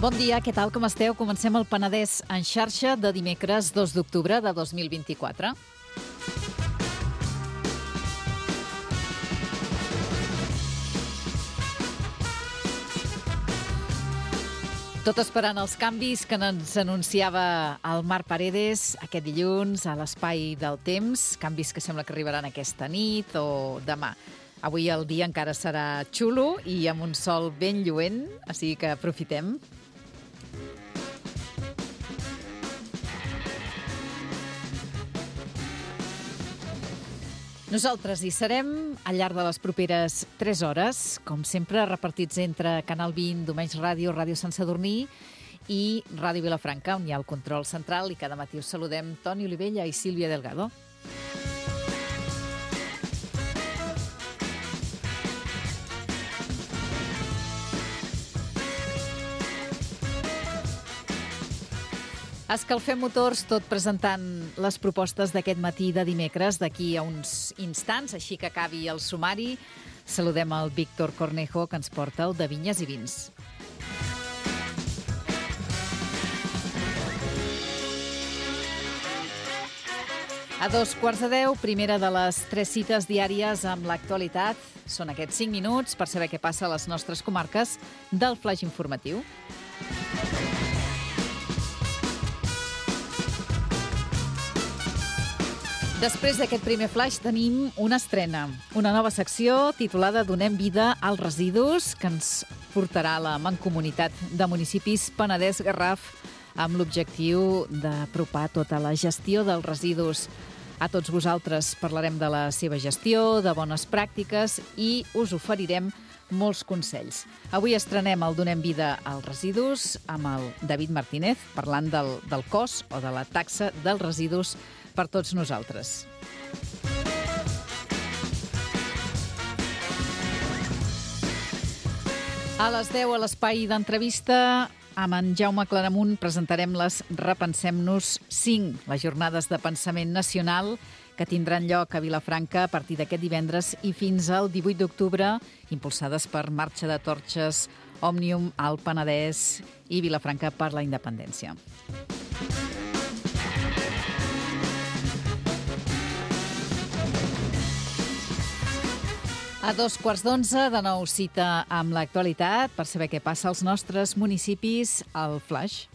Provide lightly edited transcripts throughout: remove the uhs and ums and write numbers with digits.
Bon dia, què tal, com esteu? Comencem el Penedès en xarxa de dimecres 2 d'octubre de 2024. Tot esperant els canvis que ens anunciava el Marc Paredes aquest dilluns a l'Espai del Temps, canvis que sembla que arribaran aquesta nit o demà. Avui el dia encara serà xulo i amb un sol ben lluent, així que aprofitem. Nosaltres hi serem al llarg de les properes 3 hores, com sempre repartits entre Canal 20, Domeix Ràdio, Ràdio Sant Sadurní i Ràdio Vilafranca, on hi ha el control central, i cada matí us saludem Toni Olivella i Sílvia Delgado. Escalfem motors, tot presentant les propostes d'aquest matí de dimecres, d'aquí a uns instants, així que acabi el sumari. Saludem el Víctor Cornejo, que ens porta el de Vinyes i Vins. A 2:15, primera de les 3 cites diàries amb l'actualitat. Són aquests 5 minuts per saber què passa a les nostres comarques del flaix informatiu. Després d'aquest primer flaix tenim una estrena, una nova secció titulada Donem vida als residus, que ens portarà a la Mancomunitat de Municipis Penedès-Garraf amb l'objectiu d'apropar tota la gestió dels residus a tots vosaltres. Parlarem de la seva gestió, de bones pràctiques i us oferirem molts consells. Avui estrenem el Donem vida als residus amb el David Martínez, parlant del cost o de la taxa dels residus per tots nosaltres. A les 10 a l'espai d'entrevista amb en Jaume Claramunt presentarem les Repensem-nos 5, les jornades de pensament nacional que tindran lloc a Vilafranca a partir d'aquest divendres i fins al 18 d'octubre, impulsades per Marxa de Torxes, Òmnium, Alt Penedès i Vilafranca per la Independència. A 2:15, de nou cita amb l'actualitat per saber què passa als nostres municipis al Flaix.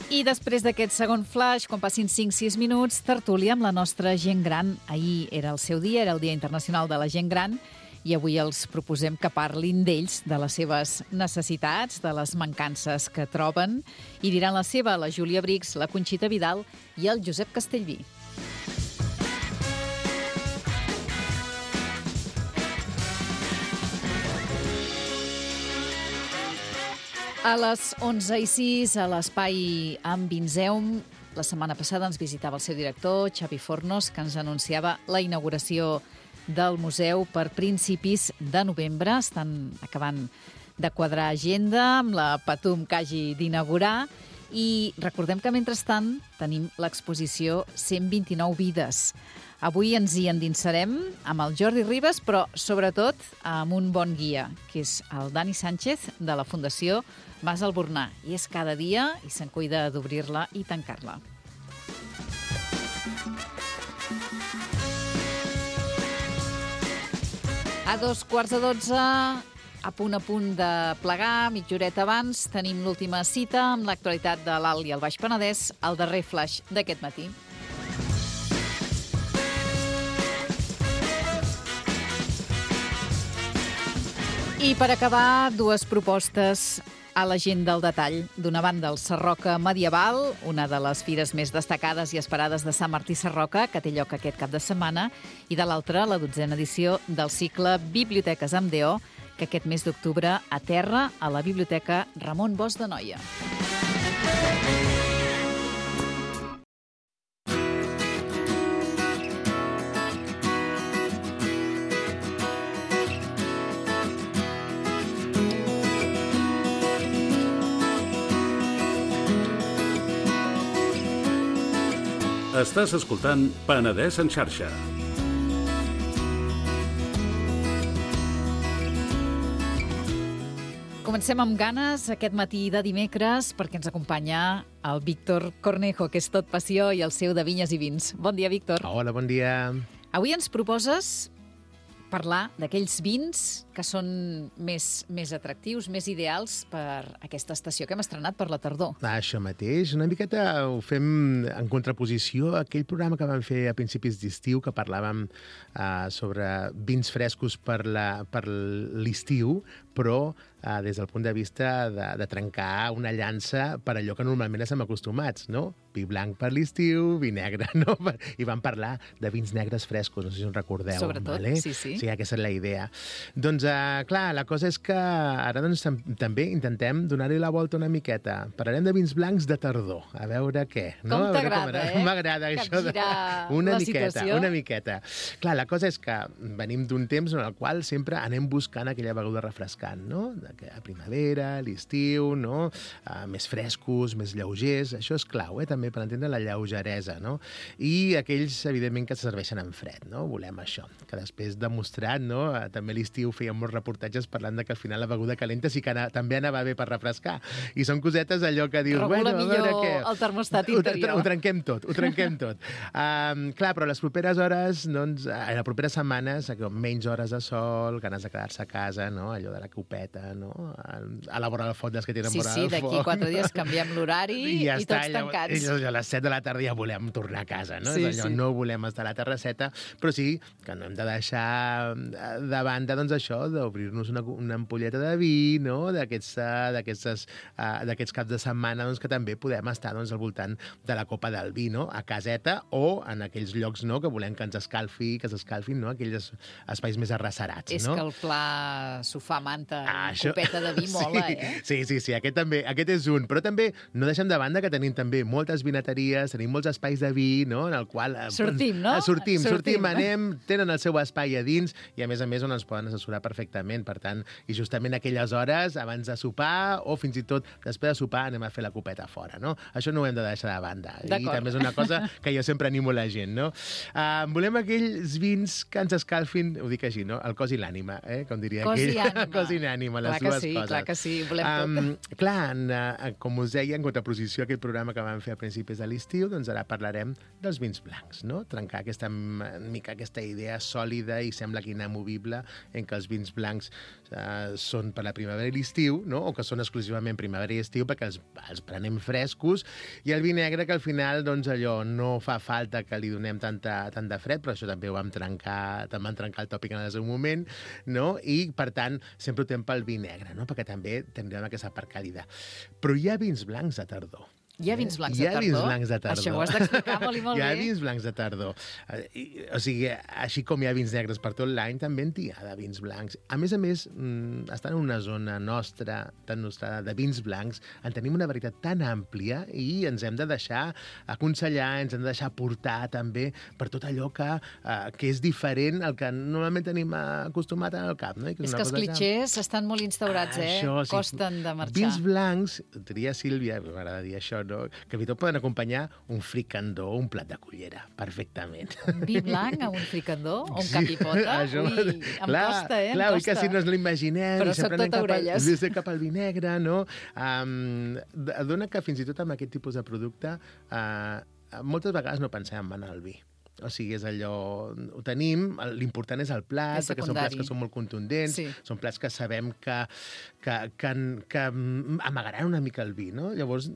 I després d'aquest segon flaix, quan passin 5-6 minuts, tertúlia amb la nostra gent gran. Ahir era el seu dia, era el Dia Internacional de la Gent Gran, i avui els proposem que parlin d'ells, de les seves necessitats, de les mancances que troben, i diran la seva la Júlia Brix, la Conxita Vidal i el Josep Castellví. A les 11:06, a l'espai amb Vinzeum, la setmana passada ens visitava el seu director, Xavi Fornos, que ens anunciava la inauguració del museu per principis de novembre. Estan acabant de quadrar agenda amb la Patum que hagi d'inaugurar. I recordem que, mentrestant, tenim l'exposició 129 vides. Avui ens hi endinsarem amb el Jordi Ribas, però sobretot amb un bon guia, que és el Dani Sánchez, de la Fundació Mas Albornà. I és cada dia i se'n cuida d'obrir-la i tancar-la. A 2:15, a punt de plegar, mitja horeta abans, tenim l'última cita amb l'actualitat de l'Alt i el Baix Penedès, el darrer flaix d'aquest matí. I per acabar, 2 propostes a la gent del detall. D'una banda, el Sarroca Medieval, una de les fires més destacades i esperades de Sant Martí Sarroca, que té lloc aquest cap de setmana, i de l'altra, la 12a edició del cicle Biblioteques amb DO, que aquest mes d'octubre aterra a la Biblioteca Ramon Bosch de Noia. Estàs escoltant Penedès en xarxa. Comencem amb ganes aquest matí de dimecres perquè ens acompanya el Víctor Cornejo, que és tot passió, i el seu de Vinyes i Vins. Bon dia, Víctor. Hola, bon dia. Avui ens proposes parlar d'aquells vins que són més atractius, més ideals per aquesta estació que hem estrenat per la tardor. Això mateix. Una miqueta ho fem en contraposició a aquell programa que vam fer a principis d'estiu, que parlàvem sobre vins frescos per l'estiu, però des del punt de vista de trencar una llança per allò que normalment estem acostumats, no? Vi blanc per l'estiu, vi negre, no? I vam parlar de vins negres frescos, no sé si us recordeu. Sobretot, vale? sí. Sí, aquesta és la idea. Doncs, clar, la cosa és que ara doncs, també intentem donar-hi la volta una miqueta. Parlarem de vins blancs de tardor, a veure què. No? Com t'agrada, M'agrada això. Una situació. Una miqueta. Clar, la cosa és que venim d'un temps en el qual sempre anem buscant aquella beguda refrescant, no? A primavera, l'estiu, no? Més frescos, més lleugers. Això és clau, també per entendre la lleugeresa, no? I aquells, evidentment, que se serveixen en fred, no? Volem això. Que després demostrat, no? També a l'estiu fèiem molts reportatges parlant de que al final la beguda calenta sí que també anava bé per refrescar. I són cosetes allò que dius... Regula millor el termostat interior. Ho trenquem tot. Clar, però les properes hores, doncs, les properes setmanes, menys hores de sol, ganes de quedar-se a casa, no? Allò de la copeta, no? A la vora del foc, dels que tenen vora del foc. Sí, d'aquí 4 dies canviem l'horari i tots tancats. A les 7 de la tarda ja volem tornar a casa, no? Sí, és allò, no volem estar a la terrasseta, però sí que no hem de deixar de banda, doncs, això, d'obrir-nos una ampolleta de vi, no? D'aquests caps de setmana, doncs, que també podem estar, doncs, al voltant de la copa del vi, no? A caseta o en aquells llocs, no?, que volem que ens escalfin, no? Aquells espais més arrecerats, no? És que el pla sofà, manta, copeta de vi mola, Sí, aquest és un. Però també no deixem de banda que tenim també moltes vinateries, tenim molts espais de vi, no?, en el qual... Sortim, no? Sortim, anem, tenen el seu espai a dins i, a més, on ens poden assessorar perfectament. Per tant, i justament aquelles hores, abans de sopar o fins i tot després de sopar, anem a fer la copeta fora, no? Això no ho hem de deixar de banda. I també és una cosa que jo sempre animo la gent, no? Volem aquells vins que ens escalfin, ho dic així, no?, el cos i l'ànima, com diria aquell. Cos i ànima, les dues coses. Clar que sí, volem tot. Clar, com us deia, en contraposició a aquest programa que vam fer a principis de l'estiu, doncs ara parlarem dels vins blancs, no? Trencar aquesta idea sòlida i sembla que inamovible en què els vins blancs són per la primavera i l'estiu, no? O que són exclusivament primavera i estiu perquè els prenem frescos, i el vi negre que al final, doncs, allò no fa falta que li donem tant de fred, però això també ho vam trencar el tòpic en el seu moment, no? I, per tant, sempre ho tem pel vi negre, no? Perquè també tindrem aquesta part càlida. Però hi ha vins blancs de tardor. Hi ha vins blancs de tardor? Hi ha vins blancs de tardor. Això ho has d'explicar molt i molt bé. Hi ha vins blancs de tardor. O sigui, així com hi ha vins negres per tot l'any, també n'hi ha de vins blancs. A més, estant en una zona nostra, tan nostra, de vins blancs, en tenim una varietat tan àmplia i ens hem de deixar aconsellar, ens hem de deixar portar també per tot allò que és diferent al que normalment tenim acostumat en el cap. No? És que els clitxers estan molt instaurats, costen de marxar. Vins blancs, diria Sílvia, m'agrada dir això, no? Que fins i tot poden acompanyar un fricandó o un plat de cullera, perfectament. Un vi blanc amb un fricandó o un capipota? Ui, em costa, Clar, oi que si no ens l'imaginem... Però soc tot orelles. Cap al vi negre, no? Dona que fins i tot amb aquest tipus de producte moltes vegades no pensem en el vi. O sigui, és allò... Ho tenim, l'important és el plat, perquè són plats que són molt contundents, són plats que sabem que amagaran una mica el vi, no? Llavors,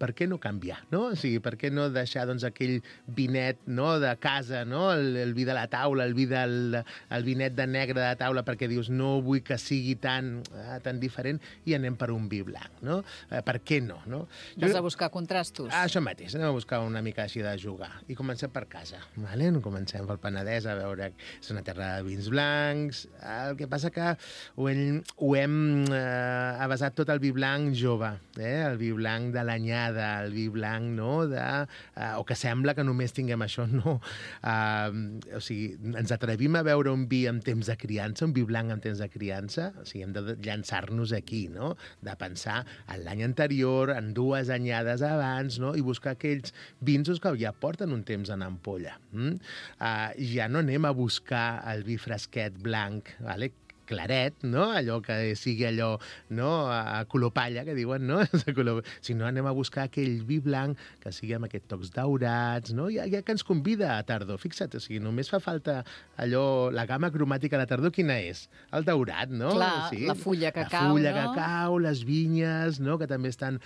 per què no canviar, no? O sigui, per què no deixar, doncs, aquell vinet, no?, de casa, no?, el vi de la taula, el vinet de negre de taula, perquè dius, no vull que sigui tan diferent, i anem per un vi blanc, no? Per què no, no? Vas a buscar contrastos. Això mateix, anem a buscar una mica així de jugar. I comencem per casa, vale? Comencem pel Penedès, a veure, és una terra de vins blancs. El que passa que ho hem avasat tot el vi blanc jove, el vi blanc de l'anyada, el vi blanc, no?, o que sembla que només tinguem això, no. O sigui, ens atrevim a veure un vi en temps de criança, un vi blanc en temps de criança, o sigui, hem de llançar-nos aquí, no?, de pensar en l'any anterior, en 2 anyades abans, no?, i buscar aquells vins que ja porten un temps en ampolla. Ja no anem a buscar el vi fresquet blanc, vale?, claret, no? Allò que sigui allò, no? A color palla, que diuen, no? Si no, anem a buscar aquell vi blanc que sigui amb aquests tocs daurats, no? Ja que ens convida a tardor. Fixa't, o sigui, només fa falta allò, la gamma cromàtica a la tardor, quina és? El daurat, no? Clar, sí. la fulla que cau, La fulla no? que cau, les vinyes, no? Que també estan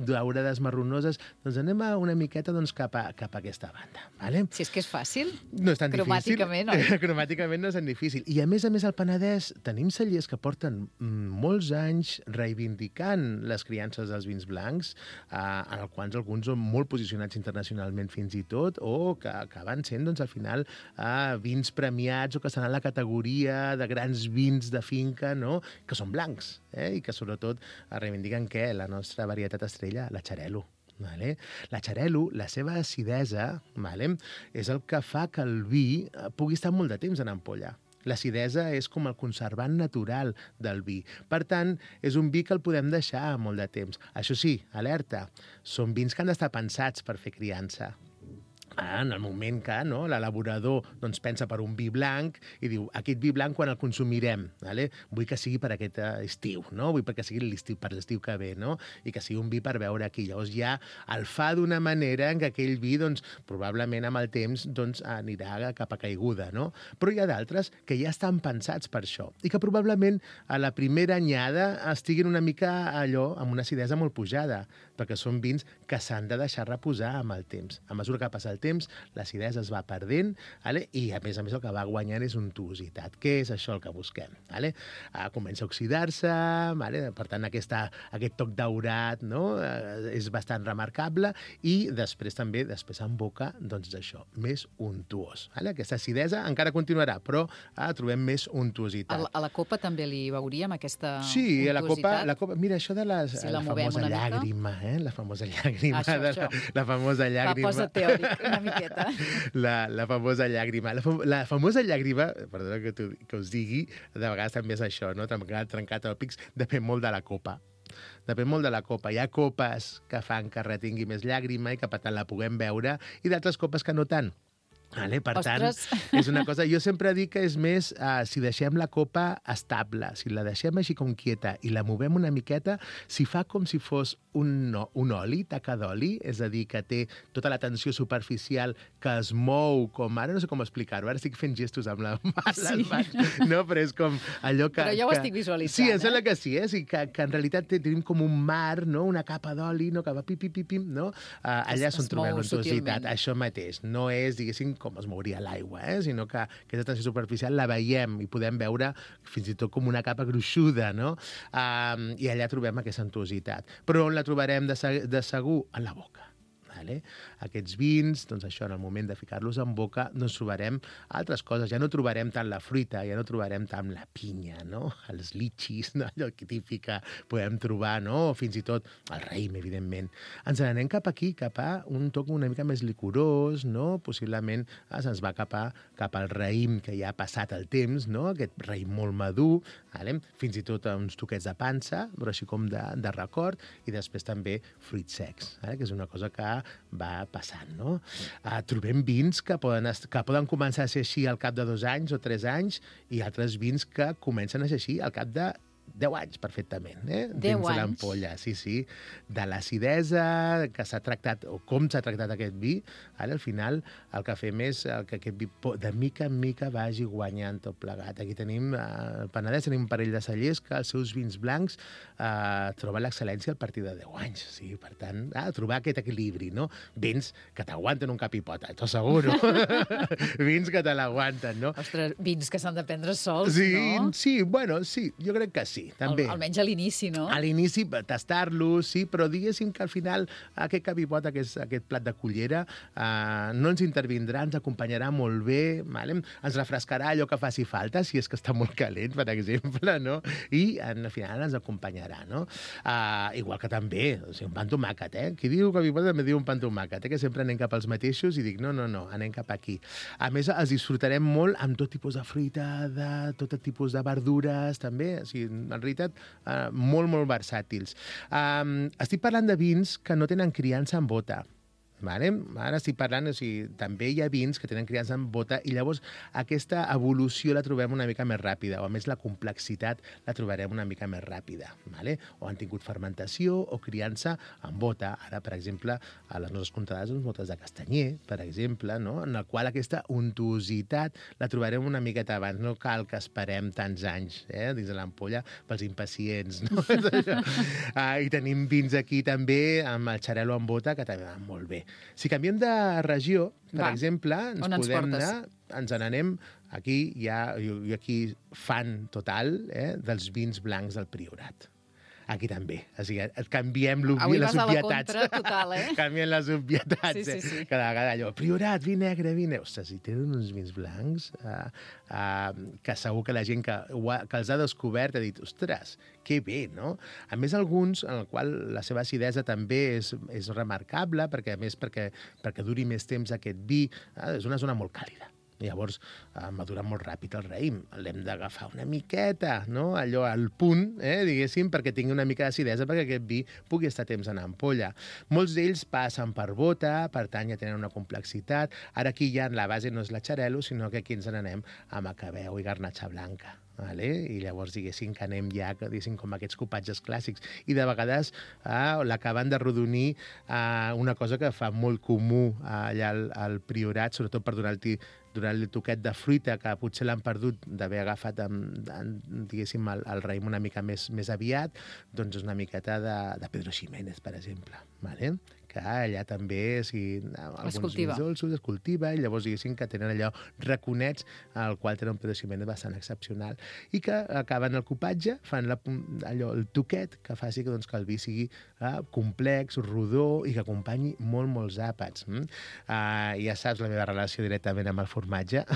daurades marronoses. Doncs anem una miqueta cap a aquesta banda, vale? Si és que és fàcil. No és tan Cromàticament, difícil. oi? Cromàticament no és tan difícil. I a més al Penedès tenim cellers que porten molts anys reivindicant les criances dels vins blancs, en els quals alguns són molt posicionats internacionalment fins i tot, o que acaben sent, doncs, al final, vins premiats o que estan en la categoria de grans vins de finca, no?, que són blancs, i que sobretot reivindiquen què? La nostra varietat estrella, la Xarel·lo. Vale? La Xarel·lo, la seva acidesa, vale? És el que fa que el vi pugui estar molt de temps en ampolla. L'acidesa és com el conservant natural del vi. Per tant, és un vi que el podem deixar molt de temps. Això sí, alerta, són vins que han d'estar pensats per fer criança. En el moment que l'elaborador pensa per un vi blanc i diu, aquest vi blanc quan el consumirem? Vale? Vull que sigui per aquest estiu, no? Vull que sigui per l'estiu que ve, no? I que sigui un vi per beure aquí. Llavors ja el fa d'una manera en què aquell vi, probablement amb el temps, anirà cap a caiguda, no? Però hi ha d'altres que ja estan pensats per això i que probablement a la primera anyada estiguin una mica allò amb una acidesa molt pujada, perquè són vins que s'han de deixar reposar amb el temps. A mesura que passa el temps, l'acidesa es va perdent, i a més el que va guanyant és untuositat. Què és això el que busquem? Comença a oxidar-se, per tant aquest toc daurat, no? És bastant remarcable, i després també, en boca, això, més untuós. Aquesta acidesa encara continuarà, però trobem més untuositat. A la copa també li veuríem aquesta untuositat? Sí, a la copa, mira, això de la famosa llàgrima, la famosa llàgrima. La famosa llàgrima. Va, posa teòric una miqueta. La famosa llàgrima. La famosa llàgrima, perdona que us digui, de vegades també és això, no? Trencar tòpics, depèn molt de la copa. Depèn molt de la copa. Hi ha copes que fan que retingui més llàgrima i que per tant la puguem beure, i d'altres copes que no tant. Per tant, és una cosa... Jo sempre dic que és més si deixem la copa estable, si la deixem així com quieta i la movem una miqueta, si fa com si fos un oli, taca d'oli, és a dir, que té tota la tensió superficial que es mou com... Ara no sé com explicar-ho, ara estic fent gestos amb les mans, no? Però és com allò que... Però ja ho estic visualitzant, Sí, em sembla que sí, que en realitat tenim com un mar, no? Una capa d'oli, no? Que va pim, no? Allà és on trobem l'untuositat. Això mateix. No és, diguéssim, com es mouria l'aigua, sinó que aquesta tensió superficial la veiem i podem veure fins i tot com una capa gruixuda, no? I allà trobem aquesta untuositat. Però on la trobarem de segur? En la boca. Aquests vins, això, en el moment de ficar-los en boca, trobarem altres coses. Ja no trobarem tant la fruita, ja no trobarem tant la pinya, no? Els litxis, no? Allò que típica podem trobar, no? O fins i tot el raïm, evidentment. Ens n'anem cap aquí, cap a un toc una mica més licorós, no? Possiblement se'ns va cap al raïm que ja ha passat el temps, no? Aquest raïm molt madur, fins i tot uns toquets de pansa, però així com de record, i després també fruits secs, que és una cosa que va passant, no? Trobem vins que poden començar a ser així al cap de 2 anys o 3 anys, i altres vins que comencen a ser així al cap de 10 anys, perfectament, 10 dins de anys? l'ampolla, sí. De l'acidesa que s'ha tractat, o com s'ha tractat aquest vi, al final el que fem és que aquest vi de mica en mica vagi guanyant tot plegat. Aquí tenim, al Penedès, tenim un parell de cellers que els seus vins blancs troben l'excel·lència a partir de 10 anys. Sí, per tant, trobar aquest equilibri, no? Vins que t'aguanten un cap i pota, t'ho asseguro. Vins que te l'aguanten, no? Ostres, vins que s'han de prendre sols, no? Sí, bueno, sí, jo crec que sí, també. Almenys a l'inici, no? A l'inici, tastar-los, sí, però diguéssim que al final aquest cap i pota, aquest plat de cullera, no ens intervindrà, ens acompanyarà molt bé, ens refrescarà allò que faci falta, si és que està molt calent, per exemple, no? I al final ens acompanyarà, no? Igual que també, un pa amb tomàquet, Qui diu cap i pota també diu un pa amb tomàquet, que sempre anem cap als mateixos i dic, no, anem cap aquí. A més, els disfrutarem molt amb tot tipus de fruita, de tot tipus de verdures, també, o sigui, en realitat, molt versàtils. Estic parlant de vins que no tenen criança en bota. Vale? Ara estic parlant, o sigui, també hi ha vins que tenen criança en bota i llavors aquesta evolució la trobem una mica més ràpida, o a més la complexitat la trobarem una mica més ràpida. Vale? O han tingut fermentació o criança en bota. Ara, per exemple, a les nostres comptades, botes de castanyer, per exemple, no? En el qual aquesta untuositat la trobarem una miqueta abans. No cal que esperem tants anys dins de l'ampolla pels impacients. No? I tenim vins aquí també amb el xarel·lo en bota, que també van molt bé. Si canviem de regió, per exemple, ens n'anem aquí, jo aquí fan total dels vins blancs del Priorat. Aquí també. O sigui, canviem les obvietats. Avui vas a la contra total, Canviem les obvietats. Sí. Cada vegada allò, Priorat, vi negre, vi negre. Ostres, si tenen uns vins blancs que segur que la gent que els ha descobert ha dit, ostres, que bé, no? A més, alguns en el qual la seva acidesa també és remarcable, perquè a més perquè duri més temps aquest vi, és una zona molt càlida. Llavors, madura molt ràpid el raïm. L'hem d'agafar una miqueta, no? Allò al punt, diguéssim, perquè tingui una mica d'acidesa, perquè aquest vi pugui estar temps en ampolla. Molts d'ells passen per bota, per tant ja tenen una complexitat. Ara aquí ja la base no és la xarel·lo, sinó que aquí ens n'anem a macabeu i garnatxa blanca. Vale? I llavors, diguéssim, que anem ja com aquests copatges clàssics. I de vegades l'acaben de rodonir una cosa que fa molt comú allà al Priorat, sobretot per donar-li el toquet de fruita, que potser l'han perdut d'haver agafat diguéssim, el raïm una mica més aviat, doncs és una miqueta de Pedro Ximénez, per exemple. Vale? Que allà també, alguns vins dolços es cultiva, i llavors diguéssim que tenen allò raconets, al qual tenen un Pedro Ximénez bastant excepcional, i que acaben el copatge, fan el toquet que faci que el vi sigui complex, rodó, i que acompanyi molts àpats. Ja saps la meva relació directament amb el formatge,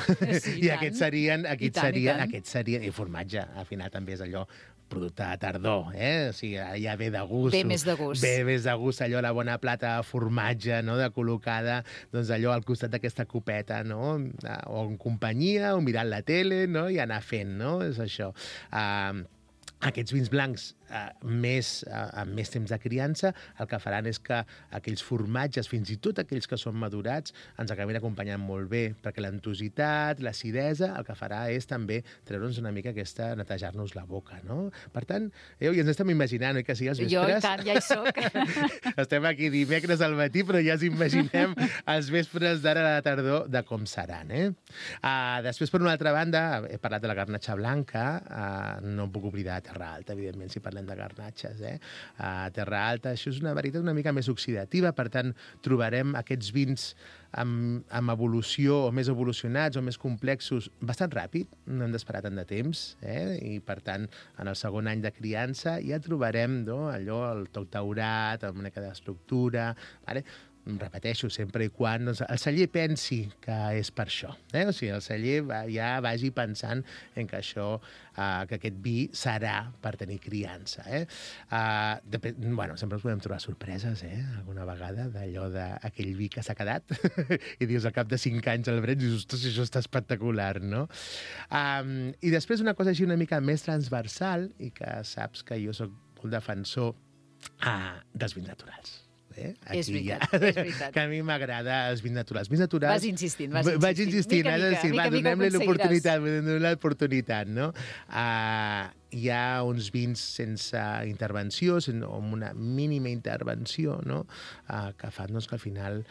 i aquests serien, i formatge, al final també és allò producte de tardor, o sigui, ja ve de gust. Ve més de gust. Ve més de gust, allò, la bona plata de formatge, no?, de col·locada, doncs allò al costat d'aquesta copeta, no?, o en companyia, o mirant la tele, no?, i anar fent, no?, és això. Aquests vins blancs amb més temps de criança, el que faran és que aquells formatges, fins i tot aquells que són madurats, ens acabin acompanyant molt bé, perquè l'entuositat, l'acidesa, el que farà és també treure'ns una mica netejar-nos la boca, no? Per tant, ja ens estem imaginant, que sí, els vespres... Jo, i tant, ja hi soc. Estem aquí dimecres al matí, però ja ens imaginem els vespres d'ara a la tardor de com seran, Després, per una altra banda, he parlat de la garnatxa blanca, no em puc oblidar de Terra Alta, evidentment, si parlem de garnatxes. A Terra Alta, això és una varietat una mica més oxidativa, per tant, trobarem aquests vins amb evolució, o més evolucionats, o més complexos, bastant ràpid, no hem d'esperar tant de temps, i per tant, en el segon any de criança ja trobarem allò, el toc daurat, amb una mica d'estructura, vale? Repeteixo, sempre i quan el celler pensi que és per això. O sigui, el celler ja vagi pensant en que que aquest vi serà per tenir criança. Sempre ens podem trobar sorpreses, alguna vegada, d'allò d'aquell vi que s'ha quedat i dius, al cap de 5 anys el brens, i dius, ostres, això està espectacular, no? I després una cosa així una mica més transversal, i que saps que jo soc molt defensor dels vins naturals. És veritat. Que a mi m'agrada els vins naturals. Vas insistint. Vaig insistint. Donem-li l'oportunitat, no? Hi ha uns vins sense intervenció, o amb una mínima intervenció, no?, que fan que al final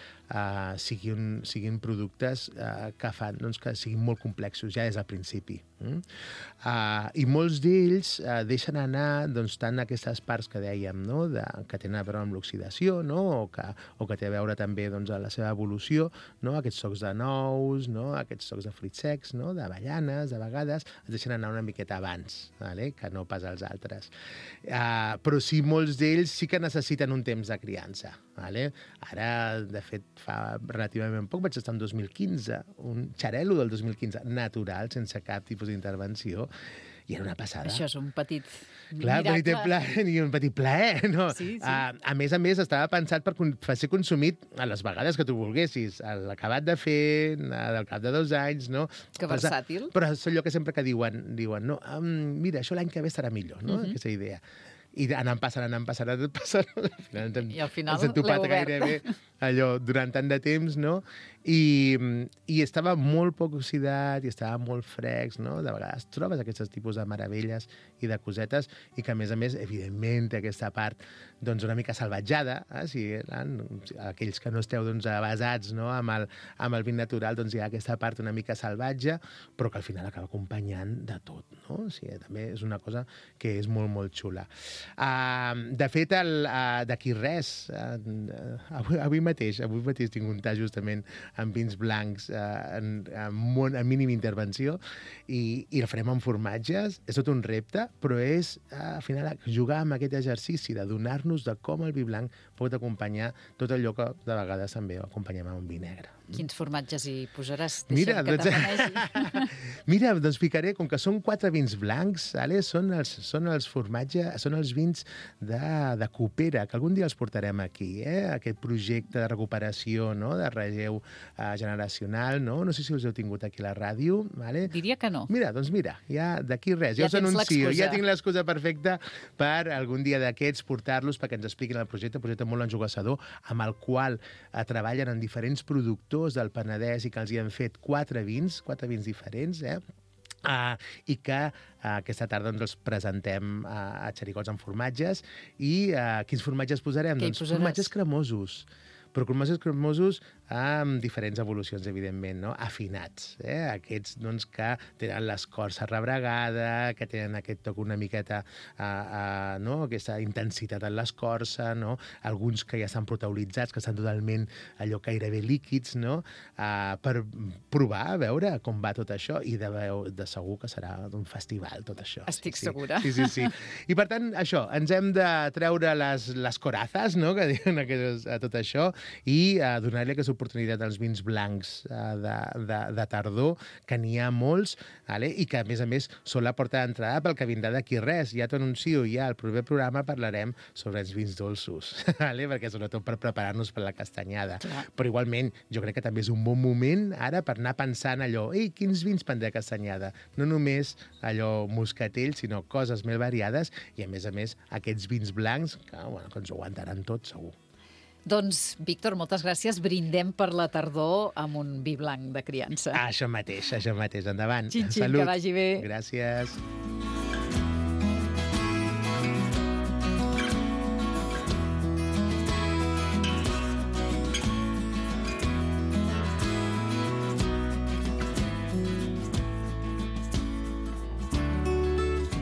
siguin productes que fan que siguin molt complexos ja des del principi. I molts d'ells deixen anar tant aquestes parts que dèiem, no?, que tenen a veure amb l'oxidació, no?, o que té a veure també amb la seva evolució, no?, aquests tocs de nous, no?, aquests tocs de fruits secs, no?, d'avellanes, de vegades es deixen anar una miqueta abans, que no pas els altres. Però sí, molts d'ells sí que necessiten un temps de criança. Ara, de fet, fa relativament poc, vaig estar en 2015, un xarel·lo del 2015, natural, sense cap tipus d'intervenció, i era una passada. Això és un petit miracle. I un petit plaer, no? Sí. A més, estava pensat per ser consumit a les vegades que tu volguessis, a l'acabat de fer, al cap de 2 anys, no? Que versàtil. Però és allò que sempre que diuen, no, mira, això l'any que ve estarà millor, no? Aquesta idea. i anant passant, al final I al final ens hem topat l'heu obert. gairebé allò durant tant de temps, no? I estava molt poc oxidat i estava molt fresc, no? De vegades trobes aquests tipus de meravelles i de cosetes i que, a més, evidentment, té aquesta part doncs, una mica salvatjada. Si aquells que no esteu doncs, basats, no? amb el vin natural, doncs hi ha aquesta part una mica salvatge, però que al final acaba acompanyant de tot, no? O sigui, també és una cosa que és molt, molt xula. De fet, d'aquí res, avui mateix tinc un tall justament amb vins blancs en mínima intervenció i el farem amb formatges. És tot un repte, però és al final jugar amb aquest exercici de donar-nos de com el vi blanc pot acompanyar tot allò que de vegades també acompanyem amb un vi negre. Quins formatges hi posaràs? Mira, Deixa'm que t'afanegi. Mira, doncs ficaré, com que són 4 vins blancs, són els formatges, són els vins de Coopera, que algun dia els portarem aquí, aquest projecte de recuperació, no? De relleu generacional, no? No sé si els heu tingut aquí a la ràdio. Vale? Diria que no. Mira, ja d'aquí res, ja us tens anuncio, l'excusa. ja tinc l'excusa perfecta per algun dia d'aquests portar-los perquè ens expliquin el projecte molt enjogassador, amb el qual treballen en diferents productors del Penedès i que els hi han fet 4 vins diferents, i que aquesta tarda els presentem a Xericots amb formatges. I quins formatges posarem? Què hi Doncs posaràs? formatges cremosos. Però formatges cremosos amb diferents evolucions, evidentment, no? Afinats. Aquests doncs, que tenen l'escorça rebregada, que tenen aquest toc una miqueta, no? Aquesta intensitat en l'escorça, no? Alguns que ja estan proteolitzats, que estan totalment allò gairebé líquids, no? Per provar, a veure com va tot això, i de segur que serà un festival, tot això. Estic segura. Sí. I per tant, això, ens hem de treure les corazas, no? Que diuen a tot això, i donar-li aquesta oportunitat als vins blancs de tardor, que n'hi ha molts, i que, a més, són la porta d'entrada pel que vindrà d'aquí res. Ja t'ho anuncio, ja al proper programa parlarem sobre els vins dolços, perquè sobretot per preparar-nos per la castanyada. Clar. Però igualment, jo crec que també és un bon moment ara per anar pensant allò, quins vins prendré a castanyada? No només allò moscatell, sinó coses més variades i, a més, aquests vins blancs que ens ho aguantaran tot, segur. Doncs, Víctor, moltes gràcies. Brindem per la tardor amb un vi blanc de criança. Això mateix. Endavant. Xin-xin, Salut. que vagi bé. Gràcies.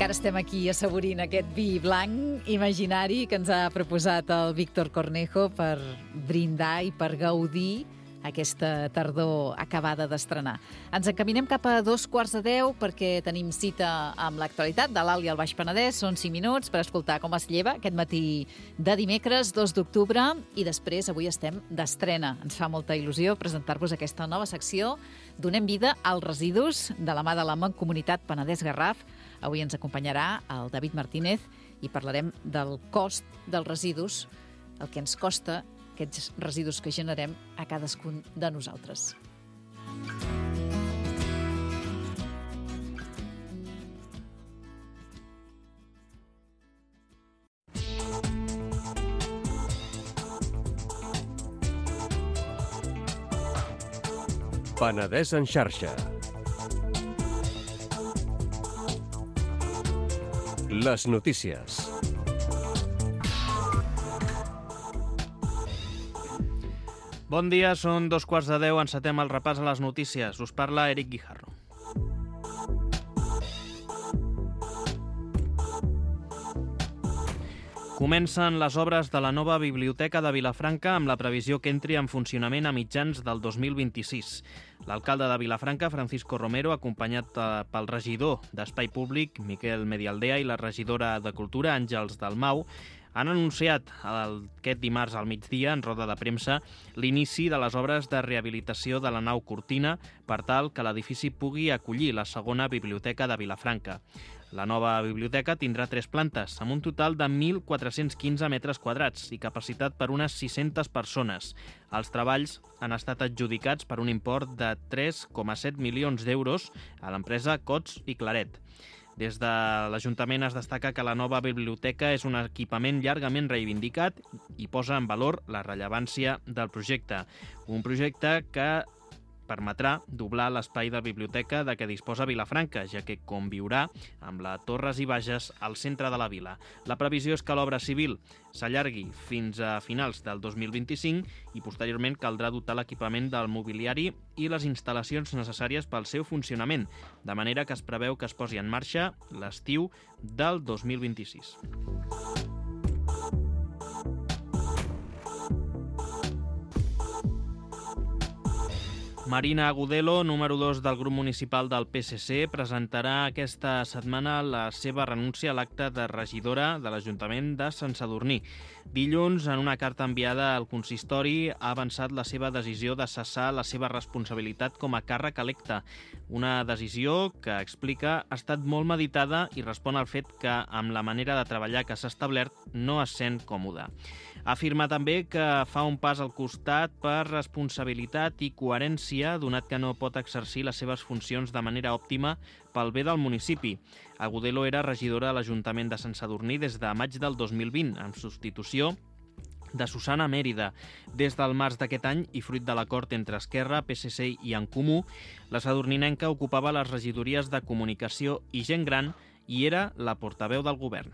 Encara estem aquí assaborint aquest vi blanc imaginari que ens ha proposat el Víctor Cornejo per brindar i per gaudir aquesta tardor acabada d'estrenar. Ens encaminem cap a 9:15 perquè tenim cita amb l'actualitat de l'Alt i el Baix Penedès. Són 5 minuts per escoltar com es lleva aquest matí de dimecres 2 d'octubre i després avui estem d'estrena. Ens fa molta il·lusió presentar-vos aquesta nova secció. Donem vida als residus de la mà de la Mancomunitat Penedès-Garraf. Avui ens acompanyarà el David Martínez i parlarem del cost dels residus, el que ens costa aquests residus que generem a cadascun de nosaltres. Penedès en xarxa. Les notícies. Bon dia, són 9:15, encetem el repàs a les notícies. Us parla Eric Guijarro. Comencen les obres de la nova biblioteca de Vilafranca amb la previsió que entri en funcionament a mitjans del 2026. L'alcalde de Vilafranca, Francisco Romero, acompanyat pel regidor d'Espai Públic, Miquel Medialdea, i la regidora de Cultura, Àngels Dalmau, han anunciat aquest dimarts al migdia, en roda de premsa, l'inici de les obres de rehabilitació de la nau Cortina per tal que l'edifici pugui acollir la segona biblioteca de Vilafranca. La nova biblioteca tindrà 3 plantes, amb un total de 1.415 metres quadrats i capacitat per unes 600 persones. Els treballs han estat adjudicats per un import de 3,7 milions d'euros a l'empresa Cots i Claret. Des de l'Ajuntament es destaca que la nova biblioteca és un equipament llargament reivindicat i posa en valor la rellevància del projecte. Un projecte que permetrà doblar l'espai de biblioteca de què disposa Vilafranca, ja que conviurà amb la Torres i Bages al centre de la vila. La previsió és que l'obra civil s'allargui fins a finals del 2025 i posteriorment caldrà dotar l'equipament del mobiliari i les instal·lacions necessàries pel seu funcionament, de manera que es preveu que es posi en marxa l'estiu del 2026. Marina Agudelo, número 2 del grup municipal del PSC, presentarà aquesta setmana la seva renúncia a l'acte de regidora de l'Ajuntament de Sant Sadurní. Dilluns, en una carta enviada al consistori, ha avançat la seva decisió de cessar la seva responsabilitat com a càrrec electe. Una decisió que, explica, ha estat molt meditada i respon al fet que, amb la manera de treballar que s'ha establert, no es sent còmode. Afirma també que fa un pas al costat per responsabilitat i coherència, donat que no pot exercir les seves funcions de manera òptima pel bé del municipi. Agudelo era regidora de l'Ajuntament de Sant Sadurní des de maig del 2020, en substitució de Susana Mèrida. Des del març d'aquest any, i fruit de l'acord entre Esquerra, PSC i En Comú, la sadurninenca ocupava les regidories de Comunicació i Gent Gran i era la portaveu del govern.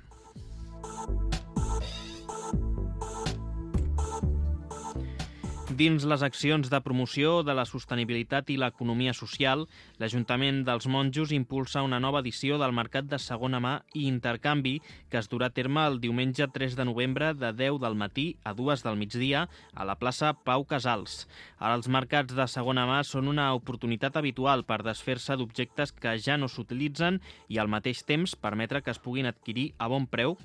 Dins les accions de promoció de la sostenibilitat i l'economia social, l'Ajuntament dels Monjos impulsa una nova edició del Mercat de Segona Mà i Intercanvi que es durà a terme el diumenge 3 de novembre de 10 del matí a 2 del migdia a la plaça Pau Casals. Ara els mercats de segona mà són una oportunitat habitual per desfer-se d'objectes que ja no s'utilitzen i al mateix temps permetre que es puguin adquirir a bon preu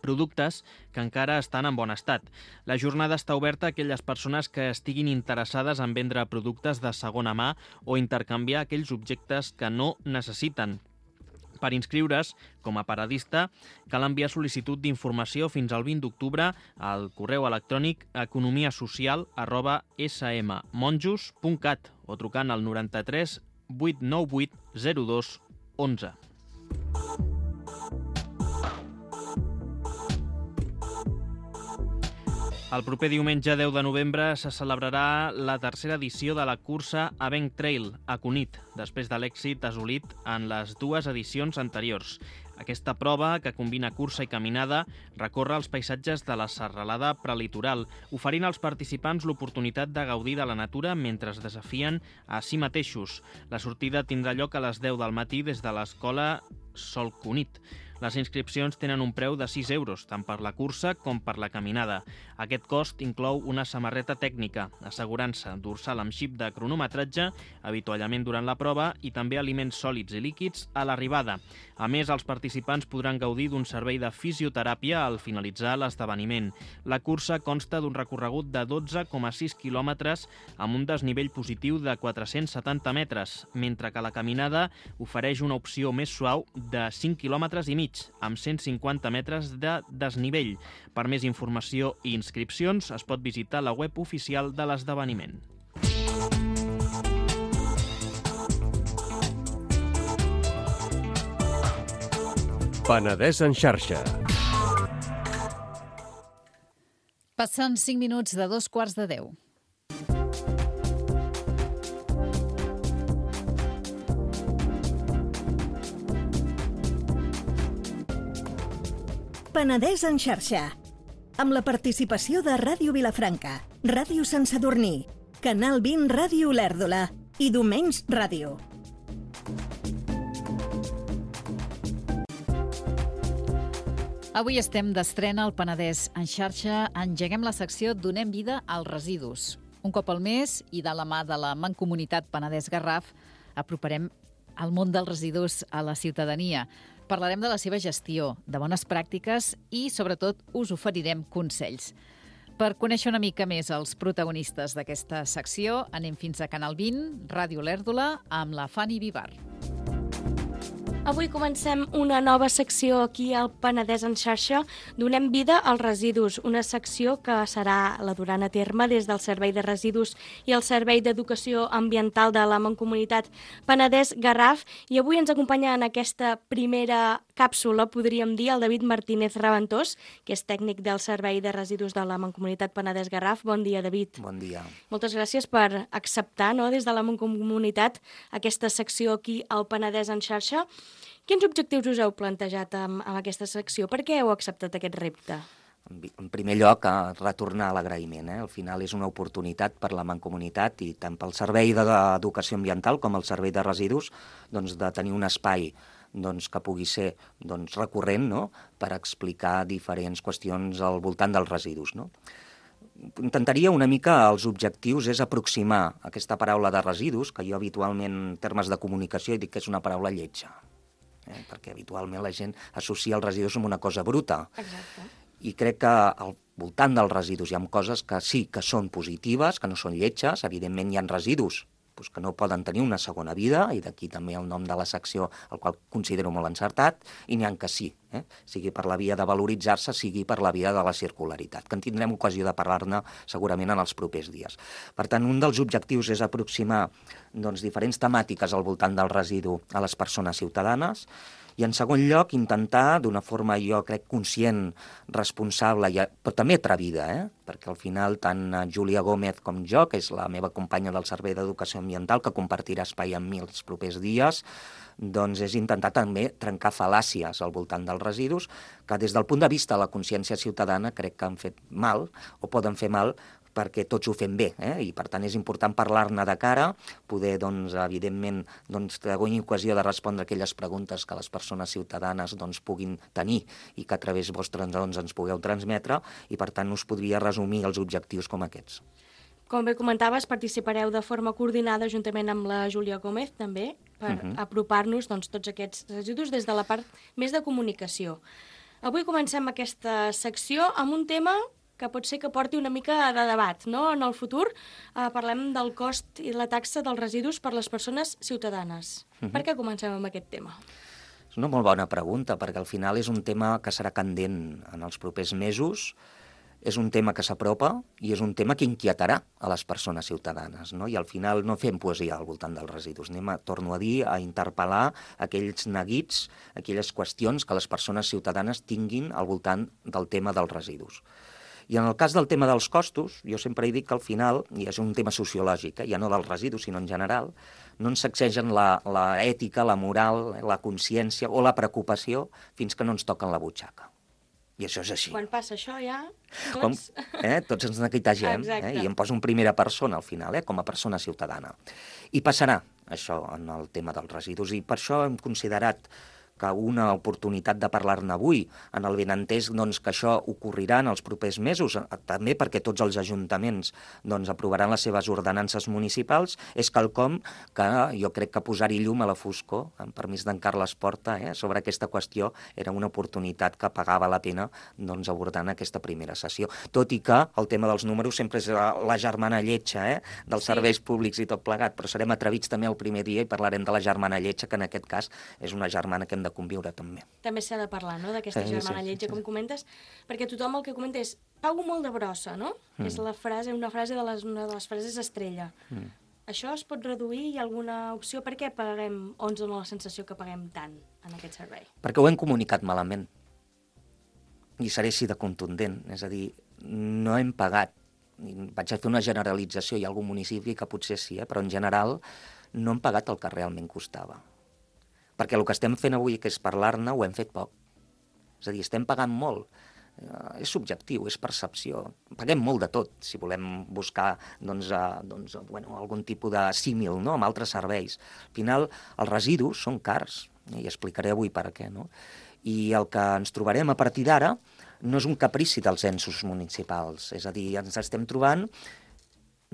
productes que encara estan en bon estat. La jornada està oberta a aquelles persones que estiguin interessades en vendre productes de segona mà o intercanviar aquells objectes que no necessiten. Per inscriure's com a paradista cal enviar sol·licitud d'informació fins al 20 d'octubre al correu electrònic economiasocial@smmonjos.cat o trucant al 93 898 02 11. El proper diumenge 10 de novembre se celebrarà la tercera edició de la cursa Avenc Trail a Cunit, després de l'èxit assolit en les dues edicions anteriors. Aquesta prova, que combina cursa i caminada, recorre els paisatges de la serralada prelitoral, oferint als participants l'oportunitat de gaudir de la natura mentre es desafien a si mateixos. La sortida tindrà lloc a les 10 del matí des de l'escola Sol Cunit. Les inscripcions tenen un preu de 6 euros, tant per la cursa com per la caminada. Aquest cost inclou una samarreta tècnica, assegurança, dorsal amb xip de cronometratge, avituallament durant la prova i també aliments sòlids i líquids a l'arribada. A més, els participants podran gaudir d'un servei de fisioteràpia al finalitzar l'esdeveniment. La cursa consta d'un recorregut de 12,6 quilòmetres amb un desnivell positiu de 470 metres, mentre que la caminada ofereix una opció més suau de 5 quilòmetres i mig, amb 150 metres de desnivell. Per més informació i inscripcions es pot visitar la web oficial de l'esdeveniment. Penedès en xarxa. Passen 5 minuts de 9:45. Penedès en xarxa, amb la participació de Ràdio Vilafranca, Ràdio Sant Sadurní, Canal 20 Ràdio Olèrdola i Domenys Ràdio. Avui estem d'estrena al Penedès en xarxa. Engeguem la secció Donem vida als residus. Un cop al mes i de la mà de la Mancomunitat Penedès Garraf aproparem el món dels residus a la ciutadania. Parlarem de la seva gestió, de bones pràctiques i, sobretot, us oferirem consells. Per conèixer una mica més els protagonistes d'aquesta secció, anem fins a Canal 20, Ràdio Olèrdola, amb la Fanny Vivar. Avui comencem una nova secció aquí al Penedès en xarxa. Donem vida als residus, una secció que serà la duran a terme des del Servei de Residus i el Servei d'Educació Ambiental de la Mancomunitat Penedès-Garraf. I avui ens acompanya en aquesta primera càpsula, podríem dir, el David Martínez Raventós, que és tècnic del Servei de Residus de la Mancomunitat Penedès-Garraf. Bon dia, David. Bon dia. Moltes gràcies per acceptar, des de la Mancomunitat, aquesta secció aquí al Penedès en xarxa. Quins objectius us heu plantejat amb aquesta secció? Per què heu acceptat aquest repte? En primer lloc, retornar a l'agraïment. Al final és una oportunitat per la Mancomunitat i tant pel Servei d'Educació Ambiental com el Servei de Residus de tenir un espai que pugui ser recurrent per explicar diferents qüestions al voltant dels residus. Intentaria una mica els objectius és aproximar aquesta paraula de residus, que jo habitualment en termes de comunicació dic que és una paraula lletja, perquè habitualment la gent associa els residus amb una cosa bruta. Exacte. I crec que al voltant dels residus hi ha coses que sí que són positives, que no són lletges. Evidentment hi ha residus que no poden tenir una segona vida, i d'aquí també el nom de la secció, el qual considero molt encertat, i n'hi ha que sí, sigui per la via de valoritzar-se, sigui per la via de la circularitat, que en tindrem ocasió de parlar-ne segurament en els propers dies. Per tant, un dels objectius és aproximar diferents temàtiques al voltant del residu a les persones ciutadanes, i en segon lloc intentar, d'una forma jo crec conscient, responsable, però també atrevida, perquè al final tant Júlia Gómez com jo, que és la meva companya del Servei d'Educació Ambiental, que compartirà espai amb mi els propers dies, és intentar també trencar fal·làcies al voltant dels residus, que des del punt de vista de la consciència ciutadana crec que han fet mal, o poden fer mal, perquè tots ho fem bé, i per tant és important parlar-ne de cara, poder, evidentment, tenir ocasió de respondre aquelles preguntes que les persones ciutadanes puguin tenir i que a través vostre ens pugueu transmetre, i per tant us podria resumir els objectius com aquests. Com bé comentaves, participareu de forma coordinada juntament amb la Júlia Gómez, també, per apropar-nos tots aquests residus des de la part més de comunicació. Avui comencem aquesta secció amb un tema que pot ser que porti una mica de debat, no? En el futur parlem del cost i la taxa dels residus per les persones ciutadanes. Per què comencem amb aquest tema? És una molt bona pregunta, perquè al final és un tema que serà candent en els propers mesos, és un tema que s'apropa i és un tema que inquietarà a les persones ciutadanes, I al final no fem poesia al voltant dels residus, torno a dir, a interpel·lar aquells neguits, aquelles qüestions que les persones ciutadanes tinguin al voltant del tema dels residus. I en el cas del tema dels costos, jo sempre he dit que al final, i és un tema sociològic, ja no dels residus, sinó en general, no ens sacsegen l'ètica, la moral, la consciència o la preocupació fins que no ens toquen la butxaca. I això és així. Quan passa això ja... Tots ens neguitegem, i em poso en primera persona al final, com a persona ciutadana. I passarà això en el tema dels residus, i per això hem considerat que una oportunitat de parlar-ne avui, en el benentès que això ocorrirà en els propers mesos, també perquè tots els ajuntaments aprovaran les seves ordenances municipals, és quelcom que jo crec que posar-hi llum a la foscor, amb permís d'en Carles Porta, sobre aquesta qüestió, era una oportunitat que pagava la pena abordar en aquesta primera sessió. Tot i que el tema dels números sempre és la germana lletja dels serveis públics i tot plegat, però serem atrevits també el primer dia i parlarem de la germana lletja, que en aquest cas és una germana que hem de conviure també. També s'ha de parlar, d'aquesta germana lletja, com comentes, perquè tothom el que comenta és pago molt de brossa, no? És una frase de les frases estrella. Això es pot reduir? Hi ha alguna opció? Per què paguem, o ens dona la sensació que paguem tant en aquest servei? Perquè ho hem comunicat malament. I seré així de contundent. És a dir, no hem pagat. Vaig a fer una generalització, hi ha algun municipi que potser sí, però en general no hem pagat el que realment costava. Perquè el que estem fent avui, que és parlar-ne, ho hem fet poc. És a dir, estem pagant molt. És subjectiu, és percepció. Paguem molt de tot, si volem buscar algun tipus de símil amb altres serveis. Al final, els residus són cars, i explicaré avui per què. I el que ens trobarem a partir d'ara no és un caprici dels ensos municipals. És a dir, ens estem trobant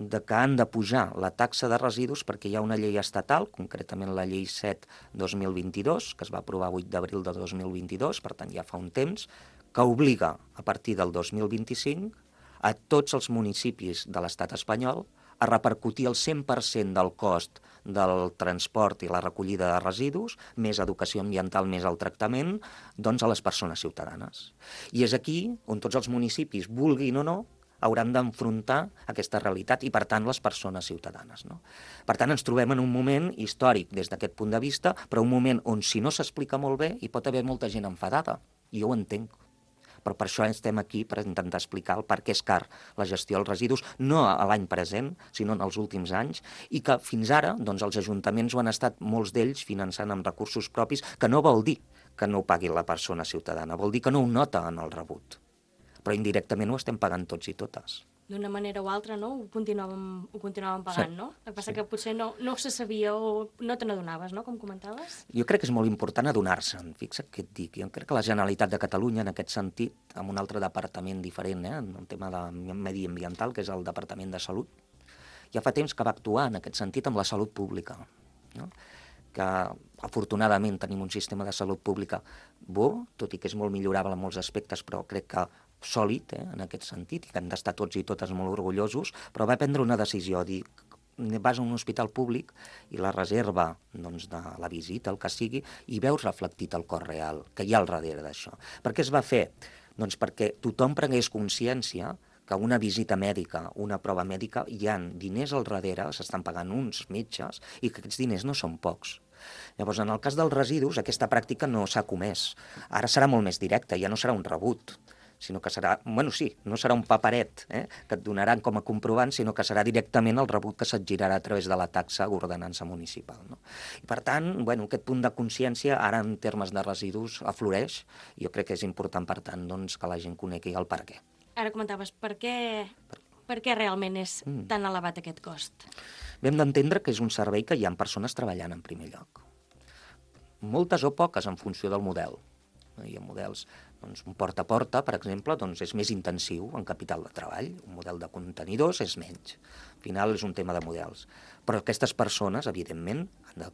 que han de pujar la taxa de residus perquè hi ha una llei estatal, concretament la llei 7/2022, que es va aprovar 8 d'abril de 2022, per tant ja fa un temps, que obliga a partir del 2025 a tots els municipis de l'estat espanyol a repercutir el 100% del cost del transport i la recollida de residus, més educació ambiental, més el tractament, doncs a les persones ciutadanes. I és aquí on tots els municipis, vulguin o no, hauran d'enfrontar aquesta realitat i, per tant, les persones ciutadanes. No? Per tant, ens trobem en un moment històric des d'aquest punt de vista, però un moment on, si no s'explica molt bé, hi pot haver molta gent enfadada. I jo ho entenc. Però per això estem aquí, per intentar explicar el per què és car la gestió dels residus, no a l'any present, sinó en els últims anys, i que fins ara doncs, els ajuntaments ho han estat, molts d'ells, finançant amb recursos propis, que no vol dir que no ho pagui la persona ciutadana, vol dir que no ho nota en el rebut. Però indirectament ho estem pagant tots i totes. D'una manera o altra, no? Ho continuàvem pagant, Sí. no? El que passa que potser no se sabia o no te n'adonaves, no?, com comentaves. Jo crec que és molt important adonar-se'n, fixa't què et dic. Jo crec que la Generalitat de Catalunya, en aquest sentit, amb un altre departament diferent, en el tema de mediambiental, que és el Departament de Salut, ja fa temps que va actuar en aquest sentit amb la salut pública, no? Que afortunadament tenim un sistema de salut pública bo, tot i que és molt millorable en molts aspectes, però crec que sòlid, en aquest sentit, i que hem d'estar tots i totes molt orgullosos, però va prendre una decisió, dir, vas a un hospital públic i la reserva doncs, de la visita, el que sigui, i veus reflectit el cost real, que hi ha al darrere d'això. Per què es va fer? Doncs perquè tothom prengués consciència que una visita mèdica, una prova mèdica, hi ha diners al darrere, s'estan pagant uns metges, i que aquests diners no són pocs. Llavors, en el cas dels residus, aquesta pràctica no s'ha comès. Ara serà molt més directa, ja no serà un rebut, sinó que serà, no serà un paperet que et donaran com a comprovant, sinó que serà directament el rebut que se't girarà a través de la taxa ordenança municipal. No? I per tant, aquest punt de consciència ara en termes de residus afloreix, i jo crec que és important, per tant, doncs, que la gent conegui el per què. Ara comentaves, per què realment és tan elevat aquest cost? Hem d'entendre que és un servei que hi ha persones treballant en primer lloc. Moltes o poques en funció del model. Hi ha models, doncs, un porta a porta, per exemple, doncs és més intensiu en capital de treball. Un model de contenidors és menys. Al final és un tema de models. Però aquestes persones, evidentment, han de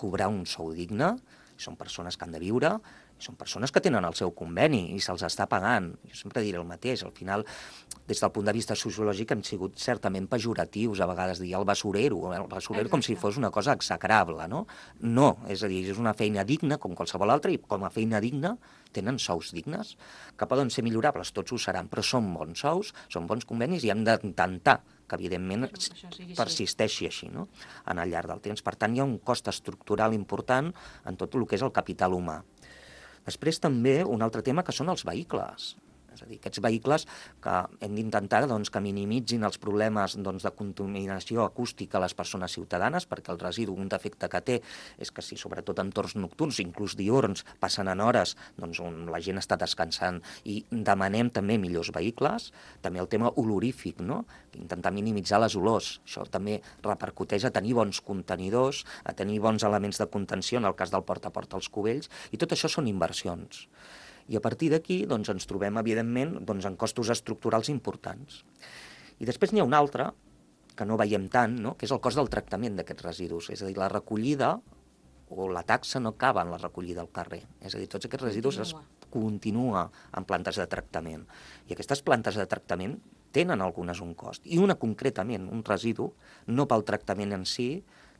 cobrar un sou digne, són persones que han de viure, són persones que tenen el seu conveni i se'ls està pagant. Jo sempre diré el mateix, al final, des del punt de vista sociològic hem sigut certament pejoratius, a vegades dir el basurero com si fos una cosa execrable, no? No, és a dir, és una feina digna com qualsevol altra i com a feina digna tenen sous dignes, que poden ser millorables, tots ho seran, però són bons sous, són bons convenis i hem d'intentar que, evidentment, persisteixi així, no? En el llarg del temps. Per tant, hi ha un cost estructural important en tot el que és el capital humà. Després també un altre tema que són els vehicles. És a dir, aquests vehicles que hem d'intentar doncs, que minimitzin els problemes doncs, de contaminació acústica a les persones ciutadanes, perquè el residu, un defecte que té, és que si sobretot en torns nocturns, inclús diürns, passen en hores doncs, on la gent està descansant i demanem també millors vehicles. També el tema olorífic, no? Intentar minimitzar les olors. Això també repercuteix a tenir bons contenidors, a tenir bons elements de contenció, en el cas del porta a porta als cubells, i tot això són inversions. I a partir d'aquí doncs, ens trobem, evidentment, doncs, en costos estructurals importants. I després n'hi ha un altre, que no veiem tant, no? Que és el cost del tractament d'aquests residus. És a dir, la recollida o la taxa no acaba en la recollida al carrer. És a dir, tots aquests residus es continua en plantes de tractament. I aquestes plantes de tractament tenen algunes un cost. I una concretament, un residu, no pel tractament en si,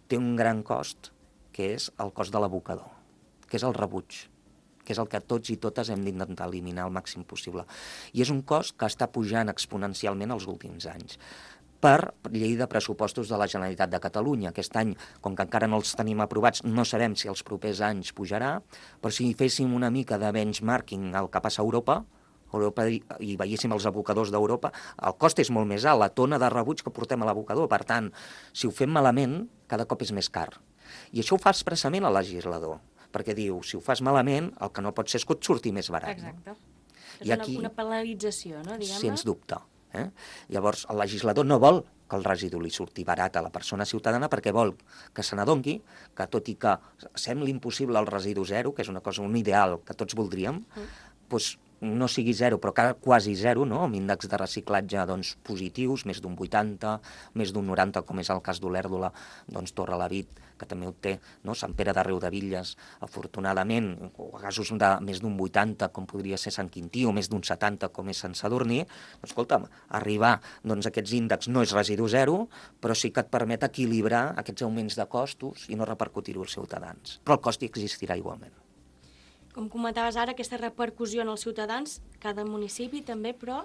té un gran cost, que és el cost de l'abocador, que és el rebuig, que és el que tots i totes hem d'intentar eliminar al màxim possible. I és un cost que està pujant exponencialment els últims anys. Per llei de pressupostos de la Generalitat de Catalunya. Aquest any, com que encara no els tenim aprovats, no sabem si els propers anys pujarà, però si féssim una mica de benchmarking al que passa a Europa i veiéssim els abocadors d'Europa, el cost és molt més alt, la tona de rebuig que portem a l'abocador. Per tant, si ho fem malament, cada cop és més car. I això ho fa expressament el legislador, perquè diu, si ho fas malament, el que no pot ser és que et surti més barat. Exacte. No? És aquí, una penalització, no, diguem-ne? Sens dubte. Llavors, el legislador no vol que el residu li surti barat a la persona ciutadana perquè vol que se n'adongui que, tot i que sembli impossible el residu zero, que és una cosa, un ideal que tots voldríem, doncs no sigui zero, però quasi zero, no? Amb índexs de reciclatge doncs, positius, més d'un 80, més d'un 90, com és el cas d'Olèrdola, doncs Torrelavit, que també ho té, no? Sant Pere de Riudebitlles, afortunadament, o casos de més d'un 80, com podria ser Sant Quintí, o més d'un 70, com és Sant Sadurní, doncs, escolta'm, arribar doncs, a aquests índexs no és residu zero, però sí que et permet equilibrar aquests augments de costos i no repercutir-ho als ciutadans. Però el cost hi existirà igualment. Com comentaves ara, aquesta repercussió en els ciutadans, cada municipi també, però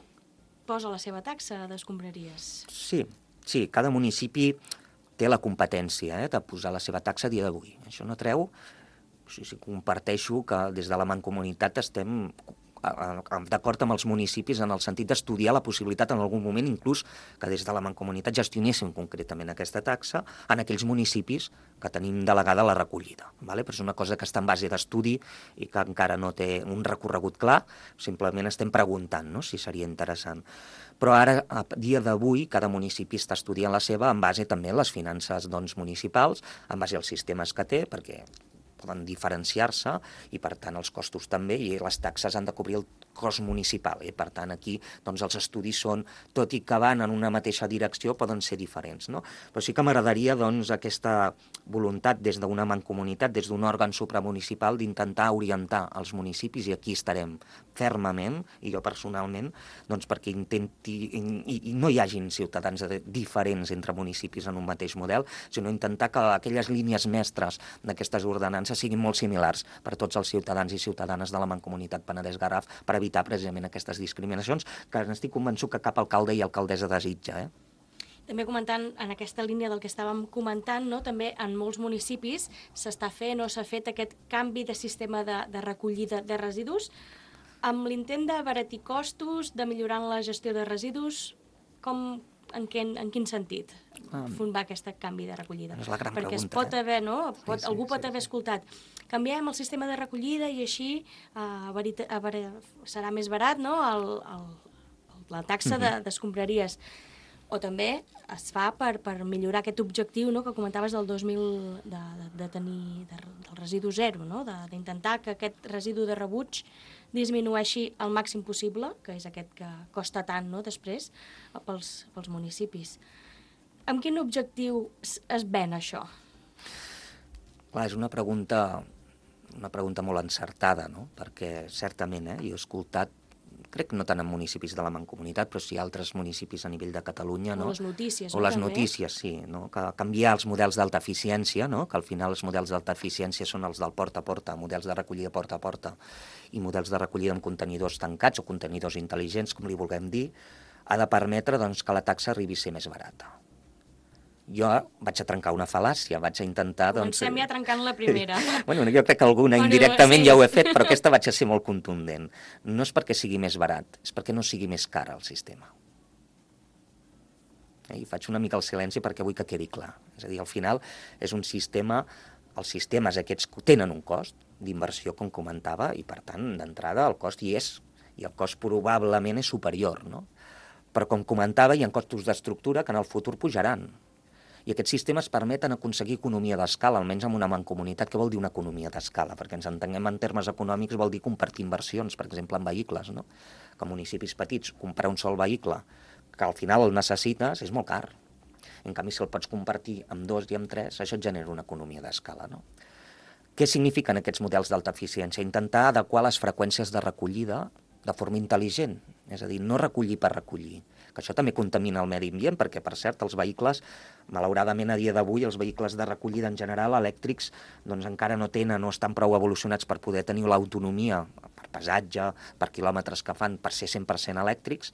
posa la seva taxa d'escombraries. Sí, cada municipi té la competència de posar la seva taxa a dia d'avui. Això no treu, comparteixo que des de la Mancomunitat estem d'acord amb els municipis en el sentit d'estudiar la possibilitat en algun moment inclús que des de la Mancomunitat gestionéssim concretament aquesta taxa en aquells municipis que tenim delegada la recollida. Però és una cosa que està en base d'estudi i que encara no té un recorregut clar, simplement estem preguntant si seria interessant. Però ara, a dia d'avui, cada municipi està estudiant la seva en base també a les finances municipals, en base als sistemes que té, perquè poden diferenciar-se i, per tant, els costos també, i les taxes han de cobrir el cost municipal. Per tant, aquí els estudis són, tot i que van en una mateixa direcció, poden ser diferents. Però sí que m'agradaria aquesta voluntat des d'una mancomunitat, des d'un òrgan supramunicipal, d'intentar orientar els municipis, i aquí estarem fermament, i jo personalment, perquè intenti, i no hi hagin ciutadans diferents entre municipis en un mateix model, sinó intentar que aquelles línies mestres d'aquestes ordenances siguin molt similars per tots els ciutadans i ciutadanes de la Mancomunitat Penedès-Garraf per evitar precisament aquestes discriminacions que n'estic convençut que cap alcalde i alcaldessa desitja. També comentant en aquesta línia del que estàvem comentant, també en molts municipis s'està fent o s'ha fet aquest canvi de sistema de recollida de residus amb l'intent d'abaratir costos, de millorar la gestió de residus. En quin sentit va aquest canvi de recollida? És la gran perquè pregunta. Es pot haver, algú pot haver escoltat, canviem el sistema de recollida i així serà més barat la taxa d'escombraries. O també es fa per millorar aquest objectiu que comentaves del 2000 de tenir del residu zero, d'intentar que aquest residu de rebuig disminueixi el màxim possible, que és aquest que costa tant després pels municipis. Amb quin objectiu es ven això? Clar, és una pregunta molt encertada, perquè certament jo he escoltat, crec que no tant en municipis de la Mancomunitat, però sí altres municipis a nivell de Catalunya. O les notícies. O les notícies, sí. Que canviar els models d'alta eficiència, que al final els models d'alta eficiència són els del porta a porta, models de recollida porta a porta, i models de recollida amb contenidors tancats o contenidors intel·ligents, com li vulguem dir, ha de permetre que la taxa arribi a ser més barata. Jo vaig a trencar una fal·làcia, vaig a intentar... Comencem ja trencant la primera. Jo crec que alguna indirectament ja ho he fet, però aquesta vaig a ser molt contundent. No és perquè sigui més barat, és perquè no sigui més car el sistema. I faig una mica el silenci perquè vull que quedi clar. És a dir, al final és un sistema, els sistemes aquests tenen un cost d'inversió, com comentava, i per tant, d'entrada, el cost hi és, i el cost probablement és superior, Però, com comentava, hi ha costos d'estructura que en el futur pujaran. I aquests sistemes permeten aconseguir economia d'escala, almenys en una mancomunitat. Què vol dir una economia d'escala? Perquè ens entenguem en termes econòmics vol dir compartir inversions, per exemple, en vehicles, Que municipis petits, comprar un sol vehicle, que al final el necessites, és molt car. En canvi, si el pots compartir amb 2 i amb 3, això et genera una economia d'escala, Què signifiquen aquests models d'alta eficiència? Intentar adequar les freqüències de recollida de forma intel·ligent, és a dir, no recollir per recollir, que això també contamina el medi ambient, perquè, per cert, els vehicles, malauradament a dia d'avui, els vehicles de recollida en general, elèctrics, encara no estan prou evolucionats per poder tenir l'autonomia, per pesatge, per quilòmetres que fan, per ser 100% elèctrics.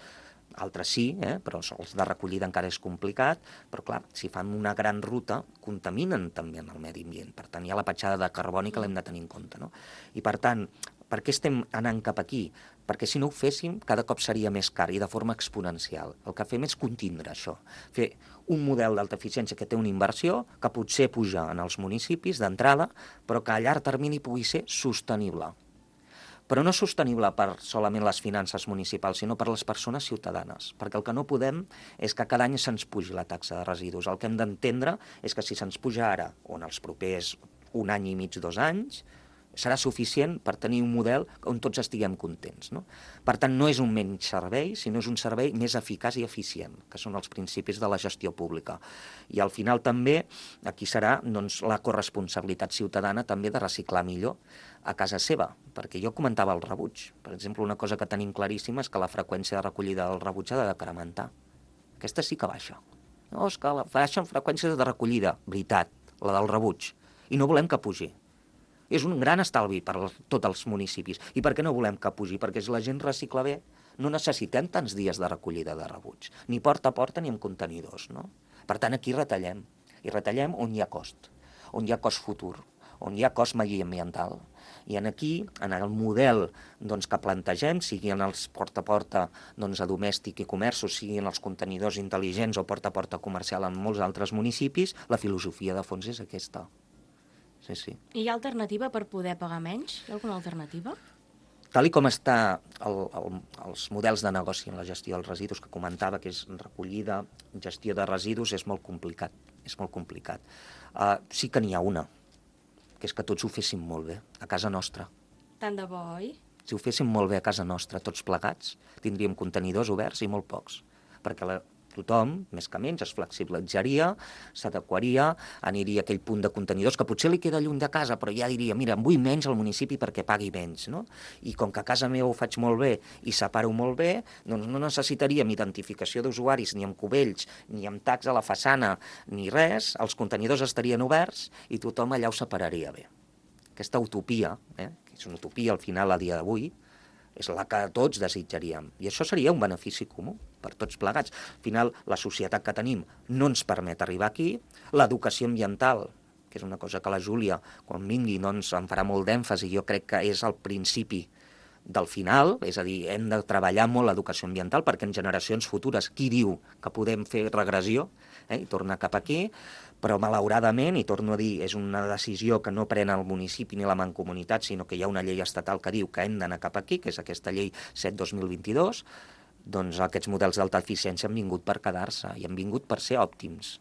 Altres sí, però els de recollida encara és complicat, però clar, si fan una gran ruta, contaminen també en el medi ambient. Per tant, hi ha la petjada de carboni que l'hem de tenir en compte. I per tant, per què estem anant cap aquí? Perquè si no ho féssim, cada cop seria més car i de forma exponencial. El que fem és contindre això, fer un model d'alta eficiència que té una inversió que potser puja en els municipis d'entrada, però que a llarg termini pugui ser sostenible. Però no sostenible per solament les finances municipals, sinó per les persones ciutadanes. Perquè el que no podem és que cada any se'ns pugi la taxa de residus. El que hem d'entendre és que si se'ns puja ara, o en els propers 1 any i mig, 2 anys, serà suficient per tenir un model on tots estiguem contents, no? Per tant, no és un menys servei, sinó és un servei més eficaç i eficient, que són els principis de la gestió pública. I al final també, aquí serà doncs, la corresponsabilitat ciutadana també de reciclar millor a casa seva, perquè jo comentava el rebuig. Per exemple, una cosa que tenim claríssima és que la freqüència de recollida del rebuig ha de decrementar. Aquesta sí que baixa. No, és que baixen freqüències de recollida, veritat, la del rebuig, i no volem que pugi. És un gran estalvi per tots els municipis. I per què no volem que pugi? Perquè si la gent recicla bé, no necessitem tants dies de recollida de rebuig, ni porta a porta ni amb contenidors, no? Per tant, aquí retallem. I retallem on hi ha cost futur, on hi ha cost mediambiental. I aquí, en el model doncs, que plantegem, sigui en els porta a porta doncs, a domèstic i comerços, sigui en els contenidors intel·ligents o porta a porta comercial en molts altres municipis, la filosofia de fons és aquesta. Sí. Hi ha alternativa per poder pagar menys? Hi ha alguna alternativa? Tal com està els models de negoci en la gestió dels residus que comentava, que és recollida, gestió de residus, és molt complicat. Sí que n'hi ha una, que és que tots ho féssim molt bé, a casa nostra. Tant de bo, oi? Si ho féssim molt bé a casa nostra, tots plegats, tindríem contenidors oberts i molt pocs, perquè tothom, més que menys, es flexibilitzaria, s'adequaria, aniria a aquell punt de contenidors que potser li queda lluny de casa, però ja diria, mira, em vull menys al municipi perquè pagui menys, no? I com que a casa meva ho faig molt bé i separo molt bé, doncs no necessitaríem identificació d'usuaris ni amb cubells, ni amb tags a la façana, ni res, els contenidors estarien oberts i tothom allà ho separaria bé. Aquesta utopia, que és una utopia al final a dia d'avui, és la que tots desitjaríem. I això seria un benefici comú per tots plegats. Al final, la societat que tenim no ens permet arribar aquí. L'educació ambiental, que és una cosa que la Júlia, quan vingui, doncs, en farà molt d'èmfasi, jo crec que és el principi del final, és a dir, hem de treballar molt l'educació ambiental perquè en generacions futures, qui diu que podem fer regressió i tornar cap aquí, però malauradament, i torno a dir, és una decisió que no pren el municipi ni la mancomunitat, sinó que hi ha una llei estatal que diu que hem d'anar cap aquí, que és aquesta llei 7/2022, doncs aquests models d'alta eficiència han vingut per quedar-se i han vingut per ser òptims,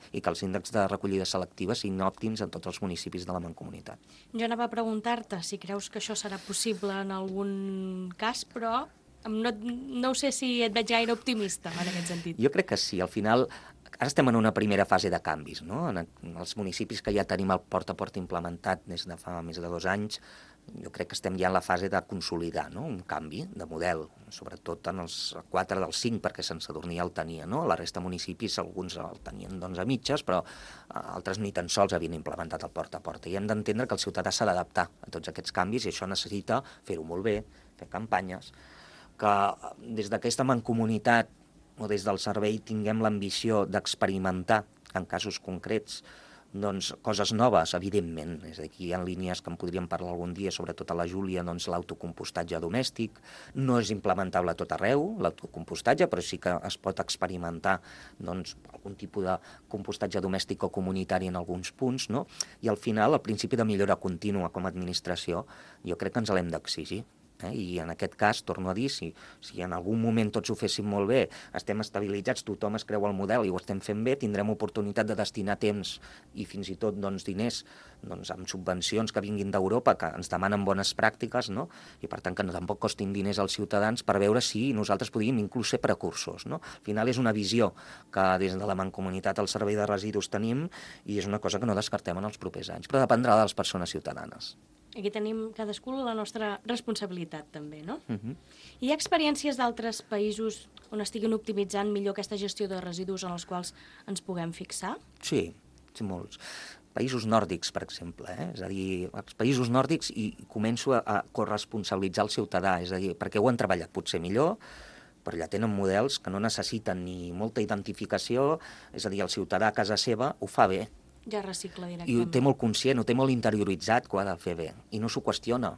i que els índexs de recollida selectiva siguin òptims en tots els municipis de la mancomunitat. Jo anava a preguntar-te si creus que això serà possible en algun cas, però no sé si et veig gaire optimista en aquest sentit. Jo crec que sí, al final ara estem en una primera fase de canvis, no? En els municipis que ja tenim el porta a porta implementat des de fa més de 2 anys, jo crec que estem ja en la fase de consolidar, no? Un canvi de model, sobretot en els 4 dels 5, perquè Sant Sadurní ja el tenia, no? La resta de municipis, alguns el tenien doncs, a mitges, però altres ni tan sols havien implementat el porta a porta. I hem d'entendre que el ciutadà s'ha d'adaptar a tots aquests canvis i això necessita fer-ho molt bé, fer campanyes, que des d'aquesta mancomunitat o des del servei tinguem l'ambició d'experimentar en casos concrets doncs, coses noves, evidentment. És a dir, hi ha línies que en podríem parlar algun dia, sobretot a la Júlia, doncs, l'autocompostatge domèstic. No és implementable a tot arreu, l'autocompostatge, però sí que es pot experimentar doncs, algun tipus de compostatge domèstic o comunitari en alguns punts, no? I al final, el principi de millora contínua com a administració, jo crec que ens l'hem d'exigir. I en aquest cas, torno a dir, si en algun moment tots ho féssim molt bé, estem estabilitzats, tothom es creu el model i ho estem fent bé, tindrem oportunitat de destinar temps i fins i tot doncs, diners doncs, amb subvencions que vinguin d'Europa, que ens demanen bones pràctiques, no? I per tant que tampoc costin diners als ciutadans per veure si nosaltres podríem inclús ser precursors, no? Al final és una visió que des de la Mancomunitat al Servei de Residus tenim i és una cosa que no descartem en els propers anys, però dependrà de les persones ciutadanes. Aquí tenim cadascú la nostra responsabilitat, també, no? Hi ha experiències d'altres països on estiguin optimitzant millor aquesta gestió de residus en els quals ens puguem fixar? Sí, molts. Països nòrdics, per exemple, és a dir, els països nòrdics i començo a corresponsabilitzar el ciutadà, és a dir, perquè ho han treballat potser millor, però ja tenen models que no necessiten ni molta identificació, és a dir, el ciutadà a casa seva ho fa bé. Ja recicla directament. I ho té molt conscient, ho té molt interioritzat que ho ha de fer bé. I no s'ho qüestiona,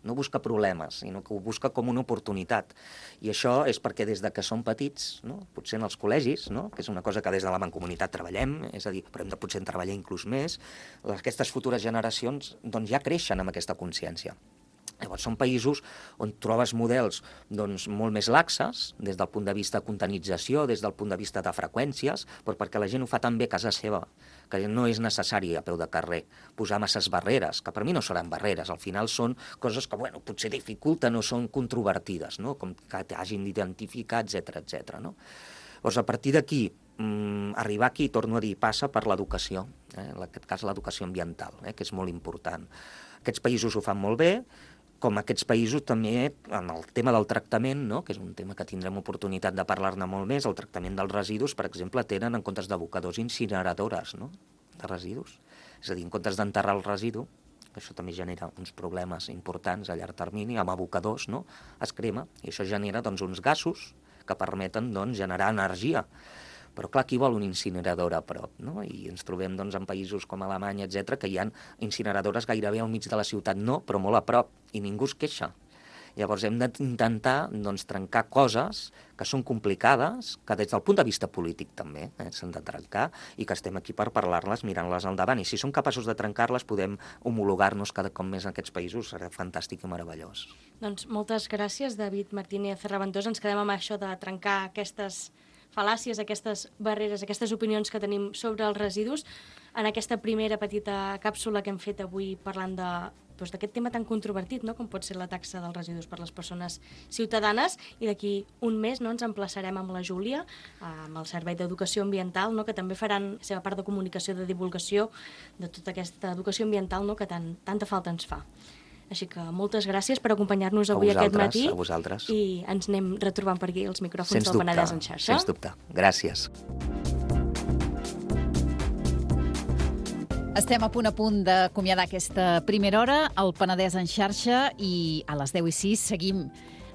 no busca problemes, sinó que ho busca com una oportunitat. I això és perquè des de que som petits, no? Potser en els col·legis, no? Que és una cosa que des de la Mancomunitat treballem, és a dir, però hem de potser treballar inclús més, aquestes futures generacions doncs, ja creixen amb aquesta consciència. Llavors, són països on trobes models doncs, molt més laxes, des del punt de vista de contaminització, des del punt de vista de freqüències, però perquè la gent ho fa tan bé a casa seva, que no és necessari a peu de carrer posar masses barreres, que per mi no seran barreres, al final són coses que potser dificulten o són controvertides, no? Com que t'hagin d'identificar, etc. No? Llavors, a partir d'aquí, arribar aquí, torno a dir, passa per l'educació, en aquest cas l'educació ambiental, que és molt important. Aquests països ho fan molt bé, com aquests països també, en el tema del tractament, no? Que és un tema que tindrem oportunitat de parlar-ne molt més, el tractament dels residus, per exemple, tenen en comptes d'abocadors incineradores, no? De residus. És a dir, en comptes d'enterrar el residu, que això també genera uns problemes importants a llarg termini, amb abocadors, no? Es crema, i això genera doncs, uns gasos que permeten doncs, generar energia. Però clar, qui vol una incineradora a prop? No? I ens trobem doncs, en països com Alemanya, etc, que hi ha incineradores gairebé al mig de la ciutat, no, però molt a prop, i ningú es queixa. Llavors hem d'intentar doncs, trencar coses que són complicades, que des del punt de vista polític també s'han de trencar, i que estem aquí per parlar-les, mirant-les al davant. I si som capaços de trencar-les, podem homologar-nos cada cop més en aquests països, serà fantàstic i meravellós. Doncs moltes gràcies, David Martínez Raventós. Ens quedem amb això de trencar aquestes fal·làcies, aquestes barreres, aquestes opinions que tenim sobre els residus en aquesta primera petita càpsula que hem fet avui parlant d'aquest tema tan controvertit, no? Com pot ser la taxa dels residus per les persones ciutadanes, i d'aquí un mes ens emplaçarem amb la Júlia, amb el Servei d'Educació Ambiental, que també faran la seva part de comunicació, de divulgació de tota aquesta educació ambiental que tanta falta ens fa. Així que moltes gràcies per acompanyar-nos avui aquest matí. A vosaltres. I ens anem retrobant per aquí els micròfons del Penedès en xarxa. Sens dubte. Gràcies. Estem a punt d'acomiadar aquesta primera hora al Penedès en xarxa, i a les 10:06 seguim.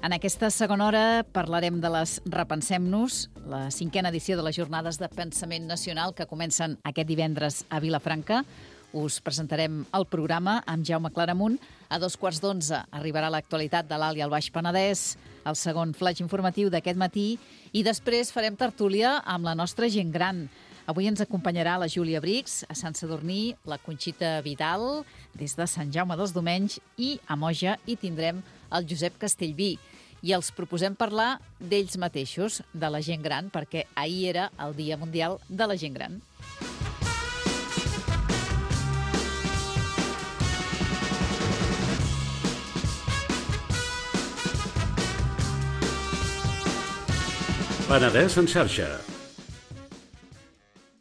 En aquesta segona hora parlarem de les Repensem-nos, la 5a edició de les Jornades de Pensament Nacional que comencen aquest divendres a Vilafranca. Us presentarem el programa amb Jaume Claramunt. A 11:15 arribarà l'actualitat de l'Alt i el Baix Penedès, el segon flaix informatiu d'aquest matí, i després farem tertúlia amb la nostra gent gran. Avui ens acompanyarà la Júlia Brix, a Sant Sadurní, la Conxita Vidal, des de Sant Jaume dels Domenys, i a Moja hi tindrem el Josep Castellví. I els proposem parlar d'ells mateixos, de la gent gran, perquè ahir era el Dia Mundial de la Gent Gran. Penedès en xarxa.